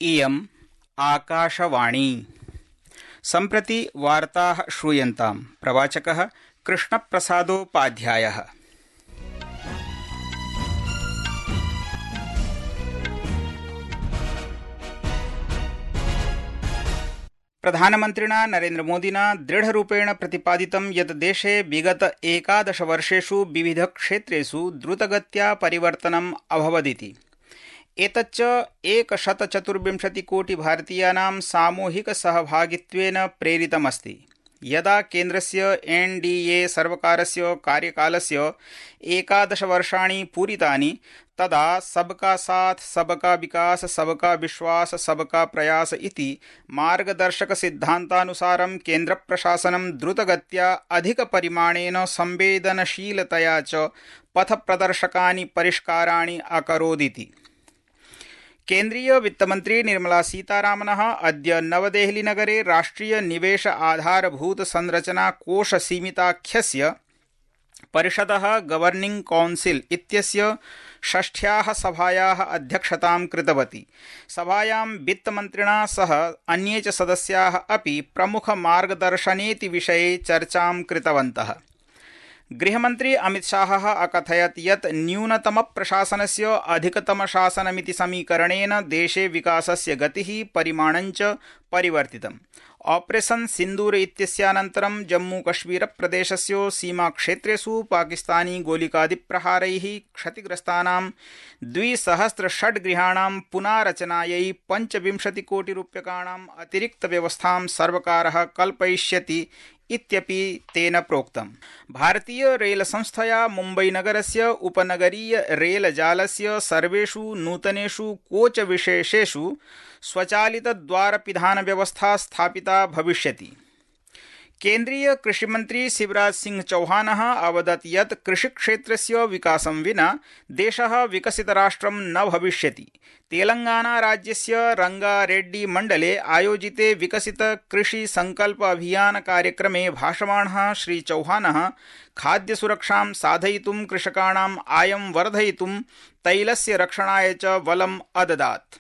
इयम् आकाशवाणी। सम्प्रति वार्ताः श्रूयन्ताम्। प्रवाचकः कृष्णप्रसादोपाध्यायः। प्रधानमन्त्रिणा नरेन्द्रमोदिना दृढरूपेण प्रतिपादितं यत् देशे विगत 11 वर्षेषु विविधक्षेत्रेषु द्रुतगत्या परिवर्तनम् अभवदिति। एतच्च 124 कोटि भारतीयानां सामूहिकसहभागित्वेन प्रेरितमस्ति। यदा केन्द्रस्य एनडीए सर्वकारस्य कार्यकालस्य 11 वर्षाणि पूरितानि तदा सबका साथ सबका विकास सबका विश्वास सबका प्रयास इति मार्गदर्शकसिद्धान्तानुसारं केन्द्रप्रशासनं द्रुतगत्या अधिकपरिमाणेन संवेदनशीलतया च पथप्रदर्शकानि परिष्काराणि अकरोदिति। केन्द्रीय वित्तमन्त्री निर्मला सीतारामनः अद्य नवदेहलीनगरे राष्ट्रिय निवेश आधारभूत संरचना कोष सीमिताख्यस्य परिषदः गवर्निंग काउंसिल इत्यस्य 6ष्ठ्याः सभायाः अध्यक्षतां कृतवती। सभायां वित्तमन्त्रिणा सह अन्ये च सदस्याः अपि प्रमुखमार्गदर्शनेति विषये चर्चां कृतवन्तः। गृहमन्त्री अमितशाहः अकथयत् यत् न्यूनतमप्रशासनस्य अधिकतमशासनमिति समीकरणेन देशे विकासस्य गतिः परिमाणञ्च परिवर्तितम्। ऑपरेशन सिन्दूर इत्यस्यानन्तरं जम्मूकश्मीरप्रदेशस्य सीमाक्षेत्रेषु पाकिस्तानी गोलिकादिप्रहारैः क्षतिग्रस्तानां 2006 गृहाणां पुनारचनायै 25 कोटिरूप्यकाणाम् अतिरिक्तव्यवस्थां सर्वकारः कल्पयिष्यति इत्यपि तेन प्रोक्तम्। भारतीय रेलसंस्थया मुम्बईनगरस्य उपनगरीय रेलजालस्य सर्वेषु नूतनेषु कोचविशेषेषु स्वचालितद्वारपिधानव्यवस्था स्थापिता भविष्यति। केन्द्रीय कृषिमन्त्री शिवराज सिंह चौहानः अवदत् यत् कृषिक्षेत्रस्य विकासं विना देशः विकसितराष्ट्रं न भविष्यति। तेलंगाना राज्यस्य रंगारेड्डी मण्डले आयोजिते विकसित कृषि संकल्प अभियान कार्यक्रमे भाषमाणः श्री चौहानः खाद्यसुरक्षां साधयितुं कृषकाणाम् आयं वर्धयितुं तैलस्य रक्षणाय च बलम् अददात्।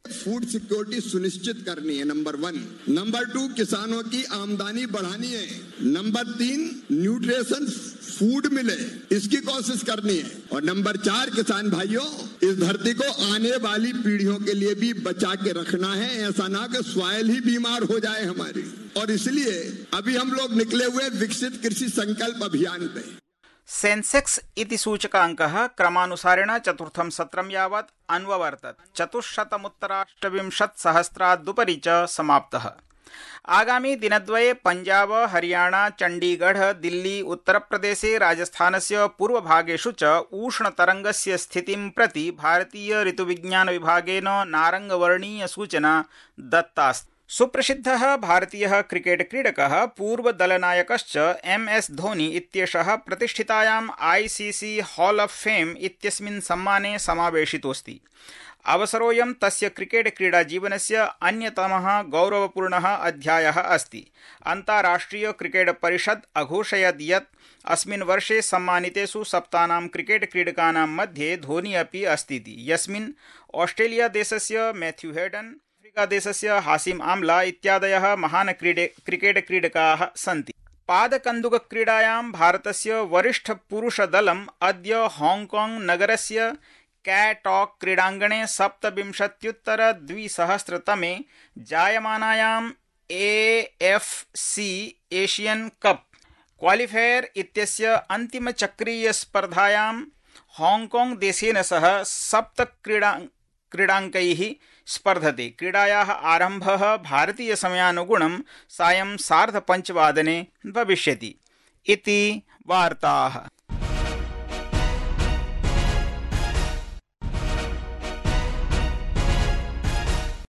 फूड सिक्योरिटी सुनिश्चित करनी है, नंबर 1। नंबर 2, किसानों की आमदनी बढ़ानी है। नंबर 3, न्यूट्रिशन फूड मिले, इसकी कोशिश करनी है। और नंबर 4, किसान भाइयों, इस धरती को आने वाली पीढ़ियों के लिए भी बचा के रखना है। ऐसा ना कि सॉइल ही बीमार हो जाए हमारी। और इसलिए अभी हम लोग निकले हुए विकसित कृषि संकल्प अभियान पे। सेंसेक्स इति सूचकाङ्कः क्रमानुसारेण चतुर्थं सत्रं यावत् अन्ववर्तत। 428,सहस्रादुपरि च समाप्तः। आगामी दिनद्वये पंजाब, हरियाणा, चण्डीगढ़, दिल्ली, उत्तरप्रदेशे, राजस्थानस्य पूर्वभागेषु च उष्णतरङ्गस्य स्थितिं प्रति भारतीय ऋतुविज्ञान विभागेन नारङ्गवर्णीय सूचना दत्तास्ति। सुप्रसिद्धः भारतीयः क्रिकेट क्रीडकः पूर्वदलनायकश्च MS धोनी इत्येषः प्रतिष्ठितायाम् ICC हॉल ऑफ फेम इत्यस्मिन् सम्माने समावेशितोऽस्ति। अवसरोऽयं तस्य क्रिकेट क्रीडाजीवनस्य अन्यतमः गौरवपूर्णः अध्यायः अस्ति। अन्ताराष्ट्रिय क्रिकेट परिषद् अघोषयत् यत् अस्मिन् वर्षे सम्मानितेषु 7 क्रिकेट क्रीडकानां मध्ये धोनी अपि अस्तीति, यस्मिन् ऑस्ट्रेलिया देशस्य मैथ्यू हेडन, देशस्य हासिम आम्ला इत्यादयः महान् क्रिकेट क्रीडकाः सन्ति। पादकन्दुकक्रीडायां भारतस्य वरिष्ठपुरुषदलम् अद्य हांगकांग नगरस्य कैटॉक क्रीडाङ्गणे 27-2000तमे जायमानायां AFC एशियन कप क्वालिफायर इत्यस्य अन्तिमचक्रीयस्पर्धायां हांगकांग देशेन सह 7 क्रीडाङ्कैः स्पर्धते। क्रीडायाः आरम्भः भारतीयसमयानुगुणं सायं 5:30 भविष्यति इति वार्ताः।